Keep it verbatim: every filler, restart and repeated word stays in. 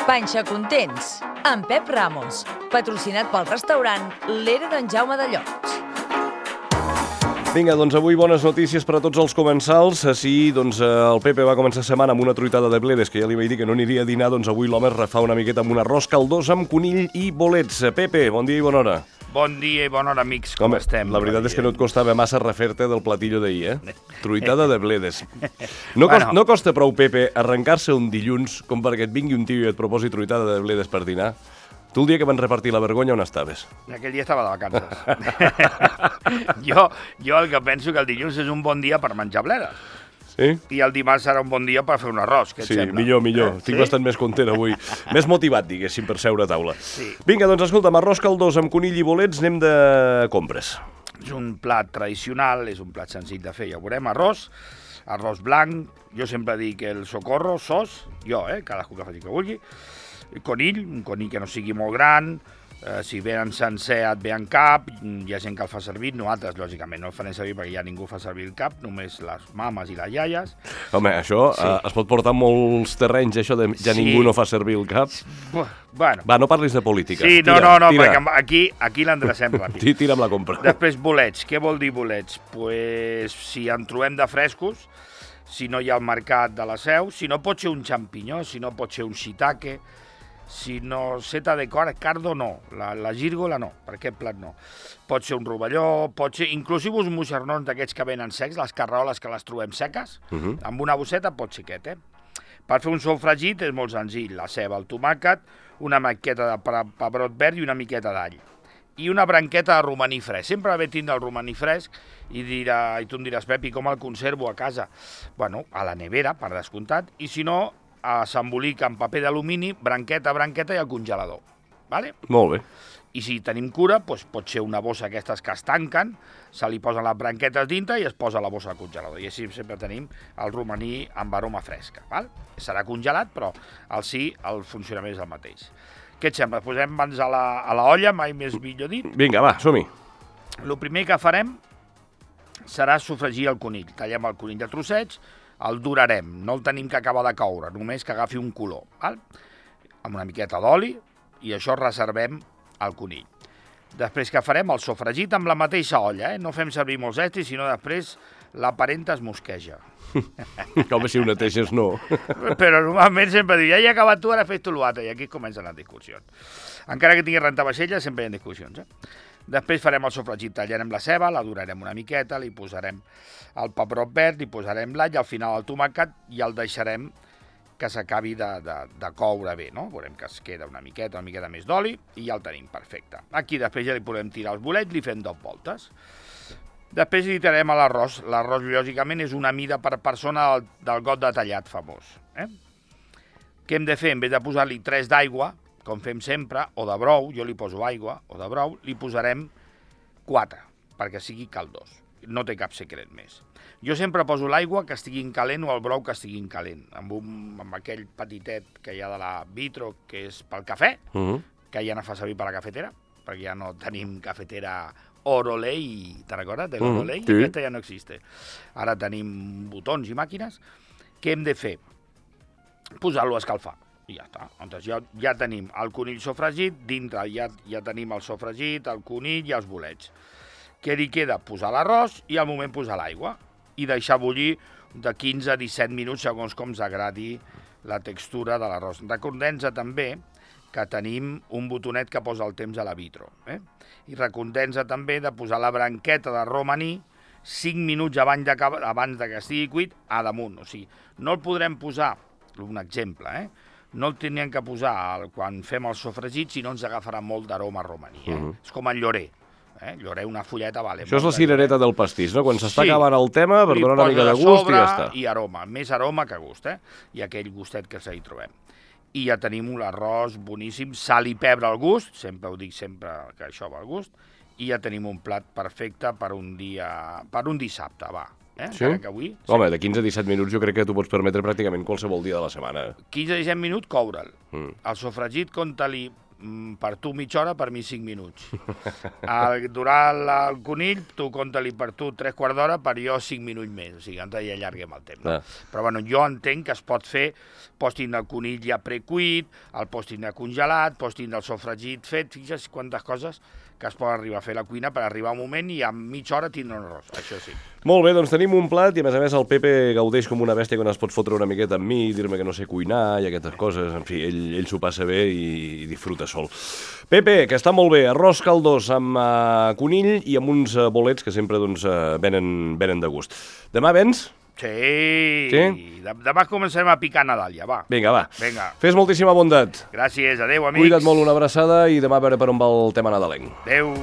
Panxa Contents, amb Pep Ramos, patrocinat pel restaurant L'Era d'en Jaume de Llots. Vinga, doncs avui bones notícies per a tots els comensals. Sí, doncs el Pepe va començar setmana amb una truitada de bledes, que ja li vaig dir que no aniria a dinar, doncs avui l'home es refà una miqueta amb un arròs caldós amb conill i bolets. Pepe, bon dia i bona hora. Bon dia i bona hora, amics, com Home, estem? La veritat és que no et costava massa refer-te del platillo d'ahir, eh? Truitada de bledes. No, Bueno. costa, no costa prou, Pepe, arrencar-se un dilluns com perquè et vingui un tio i et proposi truitada de bledes per dinar. Tu el dia que van repartir la vergonya, on estaves? Aquell dia estava de vacances. jo, jo el que penso que el dilluns és un bon dia per menjar bledes. Sí? I el dimarts serà un bon dia per fer un arròs, què et Sí, sembla? millor, millor. Eh? Estic Sí? bastant més content avui. Més motivat, diguéssim, per seure a taula. Sí. Vinga, doncs escolta'm, arròs caldós amb conill i bolets, anem de compres. És un plat tradicional, és un plat senzill de fer, ja ho veurem. Arròs, arròs blanc, jo sempre dic el socorro, sos, jo, eh, cadascú que faci que vulgui. Conill, un conill que no sigui molt gran, eh, si venen sencer et ve en cap, hi ha gent que el fa servir, nosaltres, lògicament, no el farem servir perquè ja ningú fa servir el cap, només les mames i les iaies. Home, això Sí. eh, es pot portar a molts terrenys, això de ja Sí. ningú no fa servir el cap. Bueno, Va, no parlis de política. sí, no, Tira, no, no, tira. perquè aquí, aquí l'endrecem ràpid. Ti- Tira amb la compra. Després, bolets. Què vol dir bolets? Pues, si en trobem de frescos, si no hi ha al mercat de la Seu, si no pot ser un xampinyó, si no pot ser un shiitake, si no seta de cor, cardo no, la, la gírgola no, per aquest plat no. Pot ser un rovelló, pot ser inclusive uns moixernons d'aquests que venen secs, les carraoles que les trobem seques, Uh -huh. amb una bosseta pot ser aquest, eh? Per fer un sofregit és molt senzill, la ceba, el tomàquet, una miqueta de pe- pebrot verd i una miqueta d'all. I una branqueta de romaní fresc. Sempre va bé tindre el romaní fresc i, dirà, i tu em diràs, Pep, i com el conservo a casa? Bueno, a la nevera, per descomptat, i si no, a s'embolica en paper d'alumini, branqueta, branqueta i al congelador. Vale? Molt bé. I si tenim cura, doncs pot ser una bossa aquestes que es tanquen, se li posen les branquetes dintre i es posa la bossa al congelador. I així sempre tenim el romaní amb aroma fresca. Val? Serà congelat, però al sí el funcionament és el mateix. Què et sembla? Posem mans a la, a la olla, mai més millor dit. Vinga, va, som-hi. El primer que farem serà sofregir el conill. Tallem el conill de trossets, el durarem, no el tenim que acabar de coure, només que agafi un color, val? Amb una miqueta d'oli, i això reservem el conill. Després que farem el sofregit amb la mateixa olla, eh? No fem servir molts estris, sinó després la parenta es mosqueja. Com si ho neteges, no. Però normalment sempre diu, ja he acabat tu, ara fes tu l'altre, i aquí comencen les discussions. Encara que tingui rentavaixella, sempre hi ha discussions, eh? Després farem el sofregit, tallarem la ceba, la durarem una miqueta, li posarem el pebrot verd, li posarem l'all, al final el tomàquet, i el deixarem que s'acabi de, de, de coure bé, no? Veurem que es queda una miqueta, una miqueta més d'oli, i ja el tenim perfecte. Aquí després ja li podem tirar els bolets, li fem dos voltes. Després li tirarem a l'arròs. L'arròs, lògicament, és una mida per persona del, del got de tallat famós. Eh? Què hem de fer? En vez de posar-li tres d'aigua, com fem sempre, o de brou, jo li poso aigua, o de brou, li posarem quatre, perquè sigui caldós. No té cap secret més. Jo sempre poso l'aigua que estigui calent o el brou que estigui calent, amb, un, amb aquell petitet que hi ha de la Vitro, que és pel cafè, Uh -huh. que ja no fa servir per la cafetera, perquè ja no tenim cafetera Orolei, te'n recordes? De l'Orolei, Mm, sí. aquesta ja no existe. Ara tenim botons i màquines. Què hem de fer? Posar-lo a escalfar. I ja està. Llavors ja, ja tenim el conill sofregit, dintre ja, ja tenim el sofregit, el conill i els bolets. Què li queda? Posar l'arròs i al moment posar l'aigua. I deixar bullir de quinze a disset minuts, segons com ens agradi la textura de l'arròs. Recordem-nos també que tenim un botonet que posa el temps a la Vitro. Eh? I recordem-nos també de posar la branqueta de romaní cinc minuts abans de, abans de que estigui cuit a damunt. O sigui, no el podrem posar, un exemple, eh? no el teníem que posar el, quan fem el sofregit, si no ens agafarà molt d'aroma romaní. Eh? Uh -huh. És com el llorer. Eh? Llorer, una fulleta, vale. Això és la cirereta del pastís, no? Quan s'està Sí. acabant el tema, per Li donar una poses mica de a gust i sobre ja està. I aroma, més aroma que gust, eh? I aquell gustet que s'hi trobem. I ja tenim un arròs boníssim, sal i pebre al gust, sempre ho dic sempre que això va al gust, i ja tenim un plat perfecte per un dia, per un dissabte, va. Eh? Sí? Que avui, Home, de quinze a disset minuts jo crec que t'ho pots permetre pràcticament qualsevol dia de la setmana. quinze a disset minuts, coure'l. Mm. El sofregit, compte-li per tu mitja hora, per mi cinc minuts. El, durant el conill, tu compta-li per tu tres quarts d'hora, per jo cinc minuts més, o sigui, ens hi allarguem el temps. No? Però bueno, jo entenc que es pot fer, pots tindre el conill ja precuit, el pots tindre congelat, pots tindre el sofregit fet, fixa't quantes coses que es poden arribar a fer a la cuina per arribar a un moment i en mitja hora tindre un arròs, això sí. Molt bé, doncs tenim un plat i a més a més el Pepe gaudeix com una bèstia quan es pot fotre una miqueta amb mi, dir-me que no sé cuinar i aquestes coses, en fi, ell, ell s'ho passa bé i, i disfruta sol. Pepe, que està molt bé, arròs caldós amb uh, conill i amb uns uh, bolets que sempre doncs, uh, venen, venen de gust. Demà vens? Sí, sí? Demà començarem a picar Nadal, ja, va. Vinga, va. Vinga. Fes moltíssima bondat. Gràcies, adeu, amics. Cuida't molt, una abraçada i demà a veure per on va el tema nadalenc. Adeu.